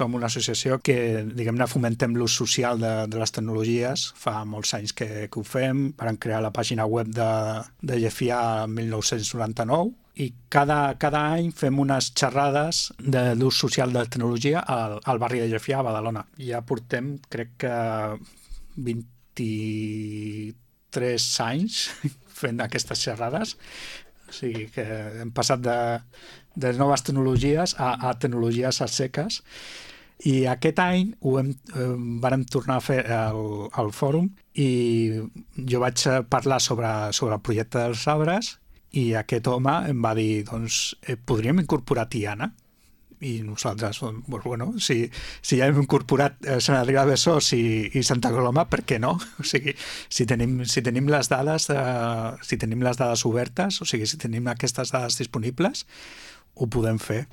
som una associació que, diguem-ne, fomentem l'ús social de les tecnologies. Fa molts anys que ho fem. Vam crear la pàgina web de GFIA el 1999 i cada any fem unes xerrades d'ús social de la tecnologia al barri de GFIA a Badalona. Ja portem, crec que 23 anys fent aquestes xerrades. O sigui que hem passat de noves tecnologies a tecnologies a seques. I aquest any vàrem tornar a fer el fòrum i jo vaig parlar sobre el projecte dels arbres i aquest home em va dir, doncs, podríem incorporar Tiana? I nosaltres, bueno, si ja hem incorporat Sant Adrià de Besòs i Santa Coloma, per què no? O sigui, si tenim les dades obertes, o sigui, si tenim aquestes dades disponibles, ho podem fer.